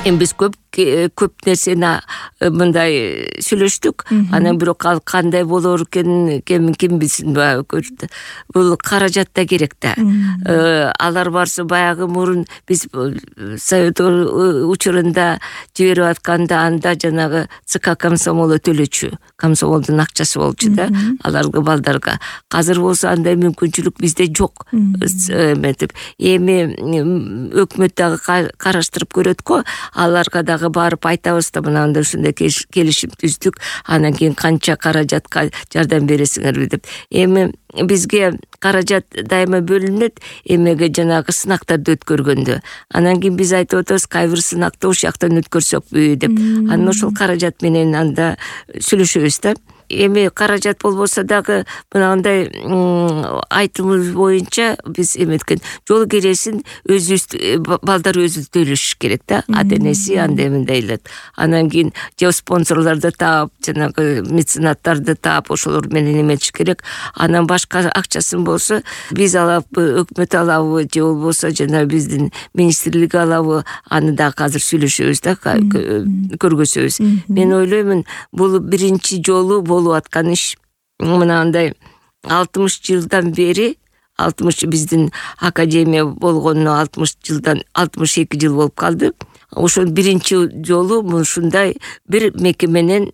Эми биз көп нерсени мындай сүйлөштүк. Анан бирок ал кандай болор экен, ким билсин, бул каражат да керек да. Алар барса баягы мурун биз совет учурунда жиберип атканда анда жанагы ЦК комсомолу төлөчү, комсомолдун акчасы болчу да аларга балдарга. Азыр болсо андай мүмкүнчүлүк бизде жок. Эми өкмөт дагы караштырып көрөт го, аларга дагы барып айтабыз да, мынандай ушундай келишим түздүк, анан кийин канча каражатка жардам бересиңерби деп. Эми бизге каражат дайыма бөлүнөт, эмеге жанагы сынактарды өткөргөндө. Анан кийин биз айтып атабыз, кайбир сынакты ошол жактан өткөрсөкпү деп. Анан ошол каражат менен анда сүйлөшөбүз да. Эми каражат болбосо дагы мынандай айтымыбыз боюнча биз эметкен жол кересин балдар өзү төлөшүш керек да. Ата-энеси андай мындайлат. Анан кийин же спонсорлорду таап, жанагы меценаттарды таап ошолор менен эметиш керек. Анан башка акчасын болсо биз алабы, өкмөт алабы, же болбосо жана биздин министрлик алабы, аны да азыр сүйлөшөбүз да, көргөзөбүз. Мен ойлоймун, бул биринчи жолу болуп аткан иш. Мынандай 60 жылдан бери, 60 биздин академия болгонуна 62 жыл болуп калды. Ошол биринчи жолу ушундай бир мекеменен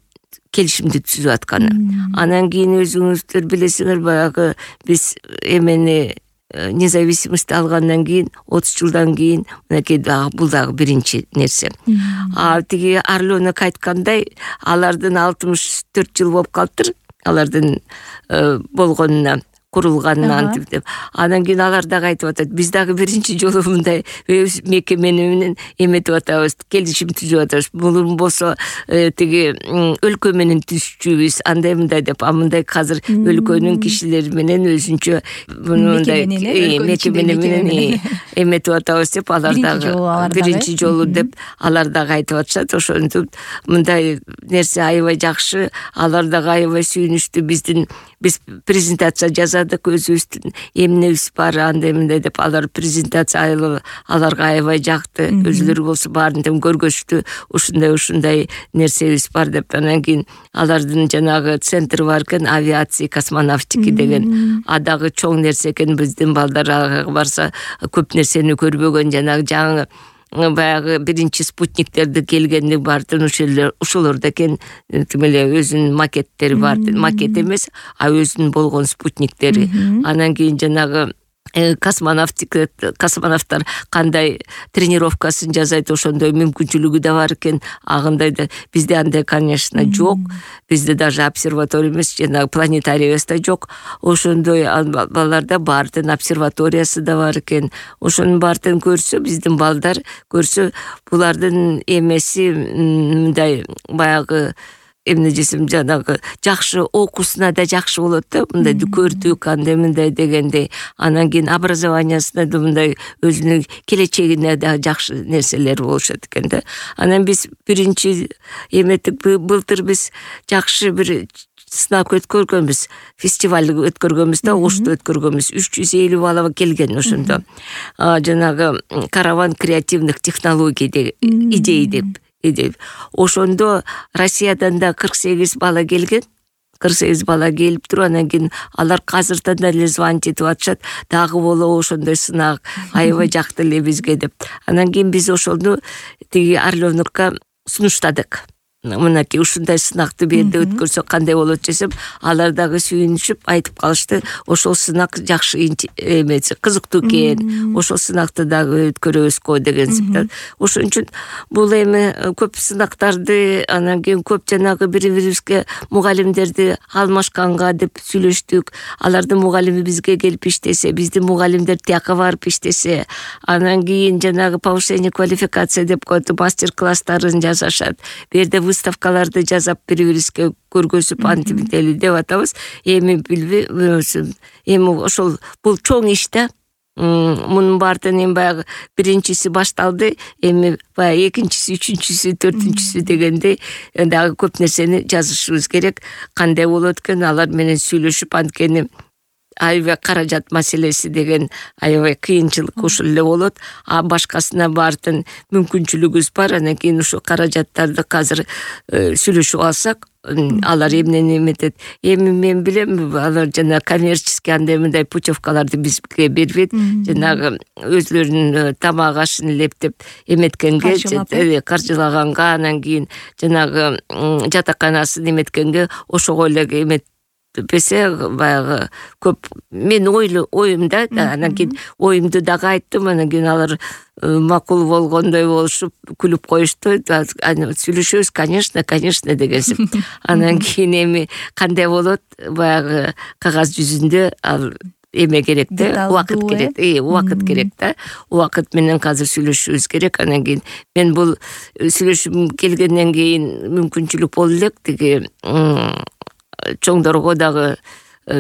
келишимди түзүп атканы. Анан кийин өзүңүздөр билесиңер, баягы биз эмени независимость алгандан кийин 30 жылдан кийин мынакей бул дагы биринчи нерсе. Тиги Орленок айткандай, алардын 64 жыл болуп калыптыр, алардын болгонуна, курулганына антип деп. Анан кийин алар дагы айтып атат, биз дагы биринчи жолу мындай өз мекемени менен эметип атабыз, келишим түзүп атабыз. Бул болсо тиги өлкө менен түзчүбүз, андай мындай деп. Мындай азыр өлкөнүн кишилери менен өзүнчө мындай мекемени менен эметип атабыз деп, алар дагы биринчи жолу деп алар дагы айтып атышат. Ошентип мындай нерсе аябай жакшы, алар дагы аябай сүйүнүчтүү. Биз презентация жазадык, өзүбүздүн эмнебиз бар, андай мындай деп. Алар презентация аларга аябай жакты, өзүлөрү болсо баарын тең көргөзүштү, ушундай нерсебиз бар деп. Анан кийин алардын жанагы центри бар экен, авиация, космонавтика деген. Дагы чоң нерсе экен, биздин балдар ага барса көп нерсени көрбөгөн, жанагы жаңы баягы биринчи спутниктерди келгенди бардын ошолордо экен, тим эле өзүнүн макеттери бар, макет эмес, өзүнүн болгон спутниктери. Анан кийин жанагы космонавттар кандай тренировкасын жасайт, ошондой мүмкүнчүлүгү да бар экен. Агындайда бизде андай, конечно, жок. Бизде даже обсерватория эмес, жана планетарийбиз да жок. Ошондой балдарда баардын обсерваториясы да бар экен. Ошонун баардын көрсө, биздин балдар көрсө, булардын эмеси мындай баягы эмне десем, жанагы жакшы окуусуна да жакшы болот да, мындай көрдүк, андай мындай дегендей. Анан кийин образованиясына да мындай өзүнүн келечегине да жакшы нерселер болушат экен да. Анан биз биринчи эметип, былтыр биз жакшы бир сынак өткөргөнбүз, фестиваль өткөргөнбүз да, Ошто өткөргөнбүз. 350 бала келген ошондо. Жанагы караван креативных технологий идей деп. Ошондо Россиядан да 48 бала келген. 48 бала келип туруп, анан кийин алар азырдан эле звонить этип атышат, дагы болобу ошондой сынак, аябай жакты эле бизге деп. Анан кийин биз ошону тиги Орленокко сунуштадык. Мынакей ушундай сынакты берде өткөрсөк кандай болот десем, алар дагы сүйүнүшүп айтып калышты, ошол сынак жакшы эмеси, кызыктуу экен, ошол сынакты дагы өткөрөбүзгө деген сыптар. Ошон үчүн бул эми көп сынактарды, анан кийин көп жанагы бири-бирибизге мугалимдерди алмашканга деп сүйлөштүк. Алардын мугалими бизге келип иштесе, биздин мугалимдер тияка барып иштесе, анан кийин жанагы повышение квалификация деп коет, мастер-класстарын жасашат. Берде выставкаларды жасап бири-бирибизге көргөзүп антимители деп атабыз. Эми билбей, эми ошол бул чоң иш да. Мунун баардын эми баягы биринчиси башталды, эми баягы экинчиси, үчүнчүсү, төртүнчүсү дегенде дагы көп нерсени жазышыбыз керек. Кандай болот экен, алар менен сүйлөшүп, анткени аябай каражат маселеси деген аябай кыйынчылык ушул эле болот. А башкасына баардын мүмкүнчүлүгүбүз бар. Анан кийин ушу каражаттарды азыр сүйлөшүп алсак, алар эмнени эметет. Эми мен билем, алар жана коммерческий андай мындай путевкаларды бизге бербейт. Жанагы өзлөрүнүн тамак ашын элептеп эметкенге, каржылаганга, анан кийин жанагы жатаканасын эметкенге ошого эле эметпесе баягы көп. Мен оюмда, анан кийин оюмду дагы айттым, анан кийин алар макул болгондой болушуп күлүп коюшту. Сүйлөшөбүз, конечно дегенсип. Анан кийин эми кандай болот, баягы кагаз жүзүндө ал эме керек да, убакыт керек. Убакыт керек да. Убакыт менен азыр сүйлөшүбүз керек. Анан кийин мен бул сүйлөшүп келгенден кийин мүмкүнчүлүк болду элек, тиги чоңдорго дагы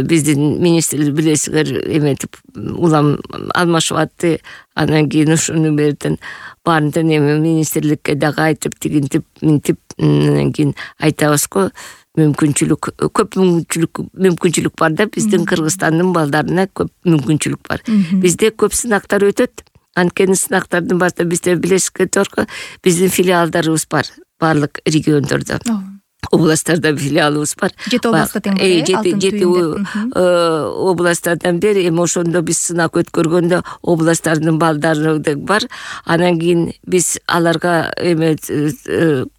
биздин министрлик билесиңер эметип улам алмашып атты. Анан кийин ушуну берден баарынтын эми министрликке дагы айтып, тигинтип, минтип, анан кийин айтабыз го. Көп мүмкүнчүлүк бар да, биздин Кыргызстандын балдарына көп мүмкүнчүлүк бар. Бизде көп сынактар өтөт. Анткени сынактардын башында бизде билесиңер го, биздин филиалдарыбыз бар баардык региондордо. Областтарда филиалыбыз бар. 7 областта тең бар. 7 областтардан бери эми ошондо биз сынак өткөргөндө областтардын балдары бар. Анан кийин биз аларга эме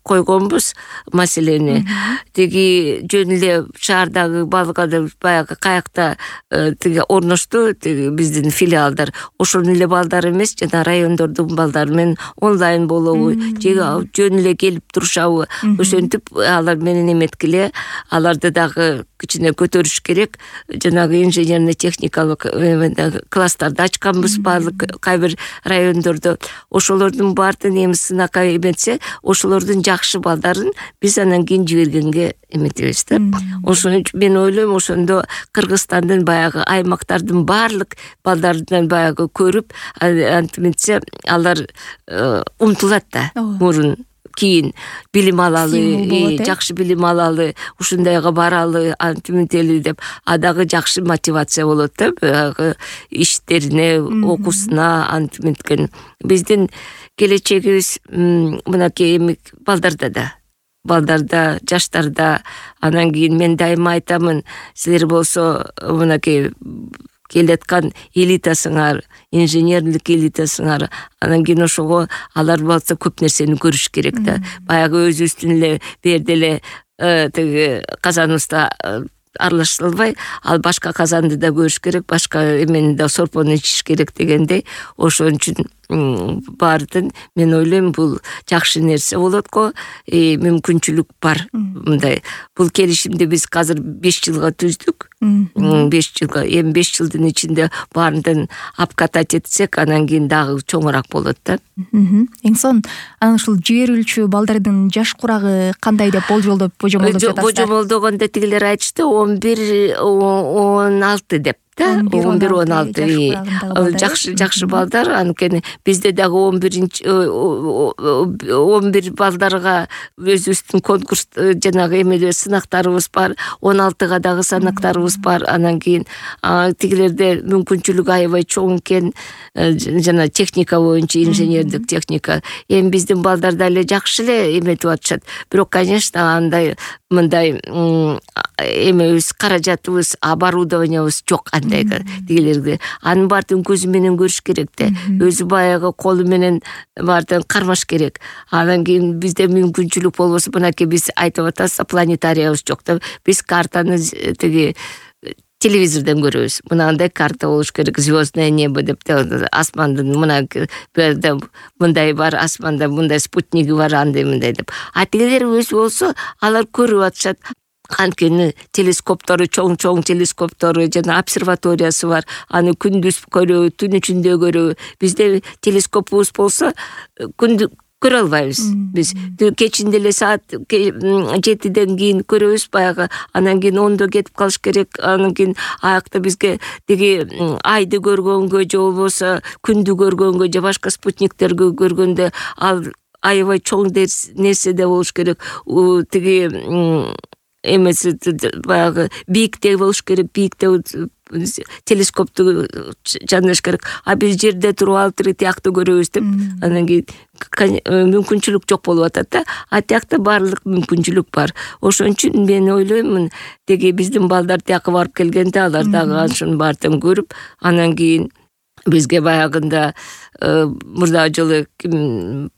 койгонбуз маселени. Тиги жөн эле шаардагы балгада баягы каякта тиги орношту, тиги биздин филиалдар. Ошонун эле балдары эмес, жана райондордун балдары менен онлайн болобу, жөн эле келип турушабы, ошентип алар менен эметкиле, аларды дагы кичине көтөрүш керек. Жанагы инженерный техникалык класстарды ачканбыз баардык кай бир райондордо. Ошолордун баардыгын эми сынакка эметсе, ошолордун жакшы балдарын биз анан кийин жибергенге эметебиз да. Ошон үчүн мен ойлойм, ошондо Кыргызстандын баягы аймактардын баардык балдарынан баягы көрүп, антиметсе алар умтулат да. Мурун кийин билим алалы, жакшы билим алалы, ушундайга баралы, антиментели деп, дагы жакшы мотивация болот да, баягы иштерине, окуусуна антиметкен. Биздин келечегибиз мынакей эми балдарда, жаштарда. Анан кийин мен дайыма айтамын, силер болсо мынакей келаткан элитасыңар, инженерлик элитасыңар, анан кийин ошого алар болсо көп нерсени көрүш керек да. Баягы өзүбүздүн эле берде эле тиги казаныбызда аралаша албай, ал башка казанды да көрүш керек, башка эмени да сорпону ичиш керек дегендей. Ошон үчүн баардын мен ойлойм, бул жакшы нерсе болот го, мүмкүнчүлүк бар. Мындай бул келишимди биз азыр 5 жылга түздүк. 5 жылга, эми 5 жылдын ичинде баардын апкатать этсек, анан кийин дагы чоңураак болот да. Эң сонун, анан ушул жиберүүчү балдардын жаш курагы кандай деп божомолдоп жатасыздар? Божомолдогондо тигилер айтышты 11-16 деп. 11-16 жакшы балдар. Анткени бизде дагы 11 балдарга өзүбүздүн конкурс жанагы эмеле сынактарыбыз бар, 16га дагы сынактарыбыз бар. Анан кийин тигилерде мүмкүнчүлүк аябай чоң экен, жана техника боюнча, инженердик техника. Эми биздин балдар да эле жакшы эле эметип атышат. Бирок, конечно, андай мындай эмебиз, каражатыбыз, оборудованиябыз жок андайга тигилерге. Анын баардыгын көзү менен көрүш керек да. Өзү баягы колу менен баардыгын кармаш керек. Анан кийин бизде мүмкүнчүлүк болбосо, мынакей биз айтып атабыз, планетариябыз жок да. Биз картаны тиги телевизордон көрөбүз. Мынандай карта болуш керек, звездное небо деп, асмандын мындай бар, асманда мындай спутниги бар, андай мындай деп. А тигилер өзү болсо, алар көрүп атышат. Анткени телескоптору, чоң телескоптору, жана обсерваториясы бар. Аны күндүз көрөбү, түн ичинде көрөбү. Бизде телескопубуз болсо, күндү көрө албайбыз. Биз кечинде эле саат 7ден кийин көрөбүз баягы. Анан кийин 10до кетип калыш керек. Анан кийин аякта бизге тиги айды көргөнгө, же болбосо күндү көргөнгө, же башка спутниктерди көргөндө ал аябай чоң нерседе болуш керек. Тиги эмеси баягы бийикте болуш керек, бийикте телескопту жандырыш керек. А биз жерде туруп алып тиякты көрөбүз деп анан кийин мүмкүнчүлүк жок болуп атат да. А тиякта баардык мүмкүнчүлүк бар. Ошон үчүн мен ойлоймун, деги биздин балдар тияка барып келгенде алар дагы анын баардыгын көрүп, анан кийин бизге баягында мурдагы жолу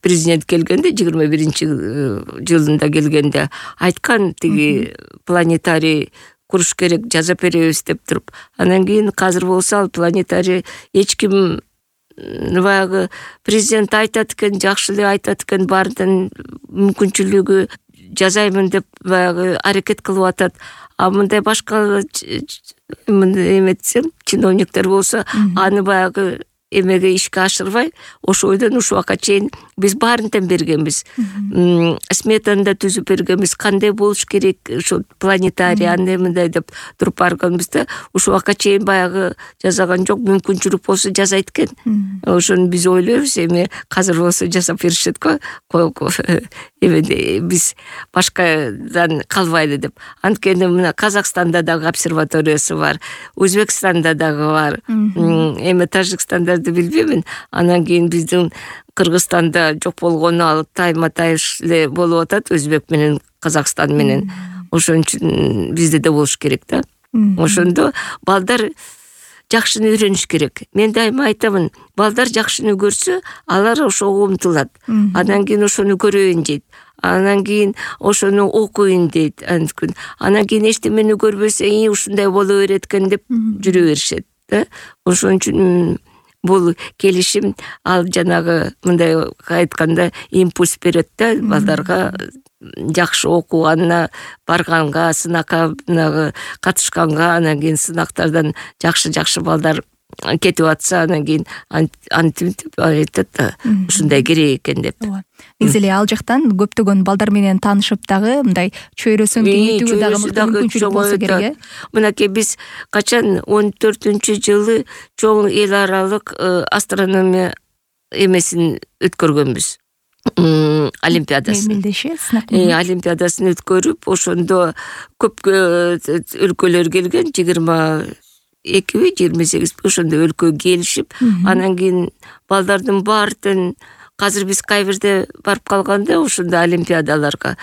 президент келгенде 21-жылында келгенде айткан, тиги планетарий куруш керек, жазап беребиз деп туруп. Анан кийин азыр болсо ал планетарий эч ким баягы президент айтат экен, жакшы эле айтат экен, баардын мүмкүнчүлүгү жасаймын деп баягы аракет кылып атат. А мындай башка эметсем, чиновниктер болсо аны баягы эмеге ишке ашырбай, ошо бойдон ушул убакка чейин биз баарын тең бергенбиз. Сметаны да түзүп бергенбиз, кандай болуш керек ошо планетарий андай мындай деп туруп барганбыз да. Ушул убакка чейин баягы жасаган жок, мүмкүнчүлүк болсо жасайт экен. Ошону биз ойлойбуз, эми азыр болсо жасап беришет го. Биз башкадан калбайлы деп. Анткени мына Казакстанда дагы обсерваториясы бар, Өзбекстанда дагы бар. Эми Тажикстандарды билбеймин. Анан кийин биздин Кыргызстанда жок болгону ал тайма-тайыш эле болуп атат, Өзбек менен Казакстан менен. Ошон үчүн бизде да болуш керек да. Ошондо балдар жакшыны үйрөнүш керек. Мен дайыма айтамын, балдар жакшыны көрсө, алар ошого умтулат. Анан кийин ошону көрөйүн дейт. Анан кийин ошону окуйун дейт. Анан кийин эчтемени көрбөсө, ушундай боло берет экен деп жүрө беришет да. Ошон үчүн бул келишим ал жанагы мындай айтканда импульс берет да балдарга, жакшы окуганына, барганга, сынакка катышканга, анан кийин сынактардан жакшы балдар кетип атса, анан кийин антип айтат да, ушундай керек экен деп. Негизи эле ал жактан көптөгөн балдар менен таанышып дагы мындай чөйрөсүн кеңейтүүгө дагы мүмкүнчүлүк болсо керек, э? Мынакей биз качан 14-жылы чоң эл аралык астрономия эмесин өткөргөнбүз. Олимпиадасын. Олимпиадасын өткөрүп, ошондо көп өлкөлөр келген, 22-28 ошондо өлкө келишип, анан кийин балдардын баардын азыр биз кайбирде барып калганда ошондо олимпиадаларга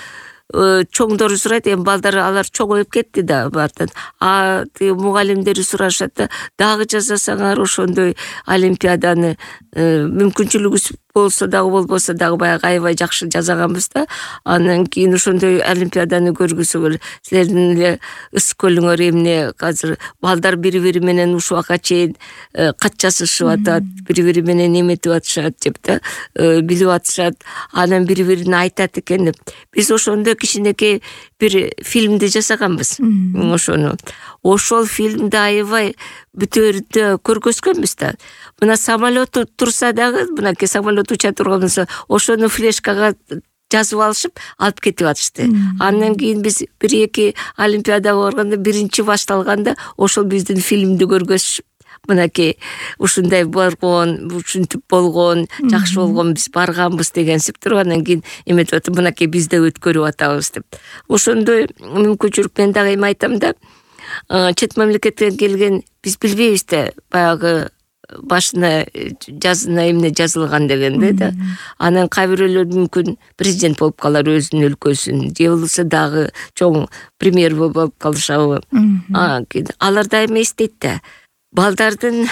чоңдору сурайт, эми балдар алар чоңоюп кетти да баардан. А мугалимдери сурашат да, дагы жасасаңар ошондой олимпиаданы, мүмкүнчүлүгүбүз болсо дагы болбосо дагы баягы аябай жакшы жасаганбыз да. Анан кийин ошондой олимпиаданы көргүсөңөр, силердин эле ыс көлүңөр эмне, азыр балдар бири-бири менен ушул убакка чейин кат жазышып атат, бири-бири менен эметип атышат деп да, билип атышат, анан бири-бирине айтат экен деп. Биз ошондо кичинекей бир фильмди жасаганбыз. Ошону. Ошол фильмди аябай бүтөрдө көргөзгөнбүз да. Мына самолет турса дагы, мынакей самолет уча турган болсо, ошону флешкага жазып алышып, алып кетип атышты. Андан кийин биз 1-2 олимпиадага барганда, биринчи башталганда ошол биздин фильмди көргөзүшүп, мынакей ушундай болгон, ушинтип болгон, жакшы болгон, биз барганбыз дегенсип туруп, анан кийин эметип атып, мынакей биз да өткөрүп атабыз деп. Ошондой мүмкүнчүлүк мен дагы эми айтам да, чет мамлекеттен келген биз билбейбиз да, баягы башына жазына эмне жазылган дегенде да. Анан кайбирөөлөр мүмкүн президент болуп калар өзүнүн өлкөсүн, же болбосо дагы чоң премьер болуп калышабы. Алар дайыма эстейт да, балдардын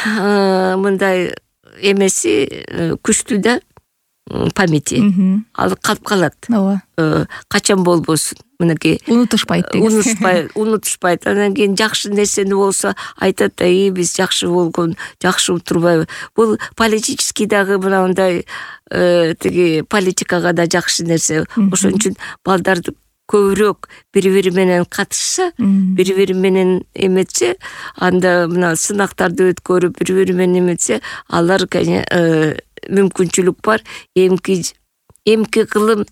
мындай эмеси күчтүү да, памяти. Ал калып калат. Качан болбосун. Мынакей унутушпайт. Унутушпайт. Анан кийин жакшы нерсени болсо айтат да, биз жакшы болгон, жакшы турбайбы. Бул политический дагы мындай тиги политикага да жакшы нерсе. Ошон үчүн балдарды көбүрөөк бири-бири менен катышса, бири-бири менен эметсе, анда мына сынактарды өткөрүп бири-бири менен эметсе, алар мүмкүнчүлүк бар. Эмки кылым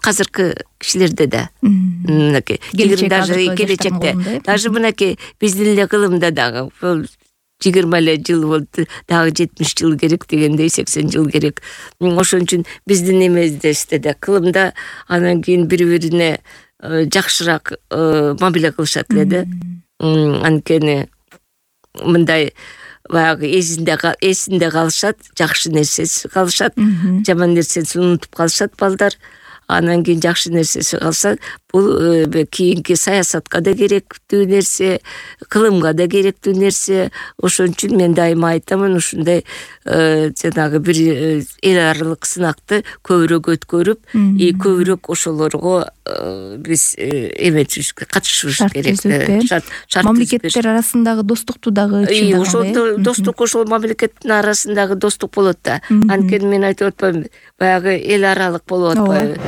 азыркы кишилерде да. Мынакей келечекте даже мынакей биздин эле кылымда дагы 20 эле жыл болду, дагы 70 жыл керек дегендей, 80 жыл керек. Ошон үчүн биздин эмездесте да, кылымда анан кийин бири-бирине жакшыраак мамиле кылышат эле да. Анткени мындай баягы эсинде калышат, жакшы нерсеси калышат, жаман нерсесин унутуп калышат балдар. Анан кийин жакшы нерсеси калса, бул кийинки саясатка да керектүү нерсе, кылымга да керектүү нерсе. Ошон үчүн мен дайыма айтамын, ушундай жанагы бир эл аралык сынакты көбүрөөк өткөрүп, көбүрөөк ошолорго биз эметишибиз, катышышыбыз керек. Мамлекеттер арасындагы достукту дагы чындагы. Ошол достук, ошол мамлекеттин арасындагы достук болот да. Анткени мен айтып атпаймынбы, баягы эл аралык болуп атпайбы.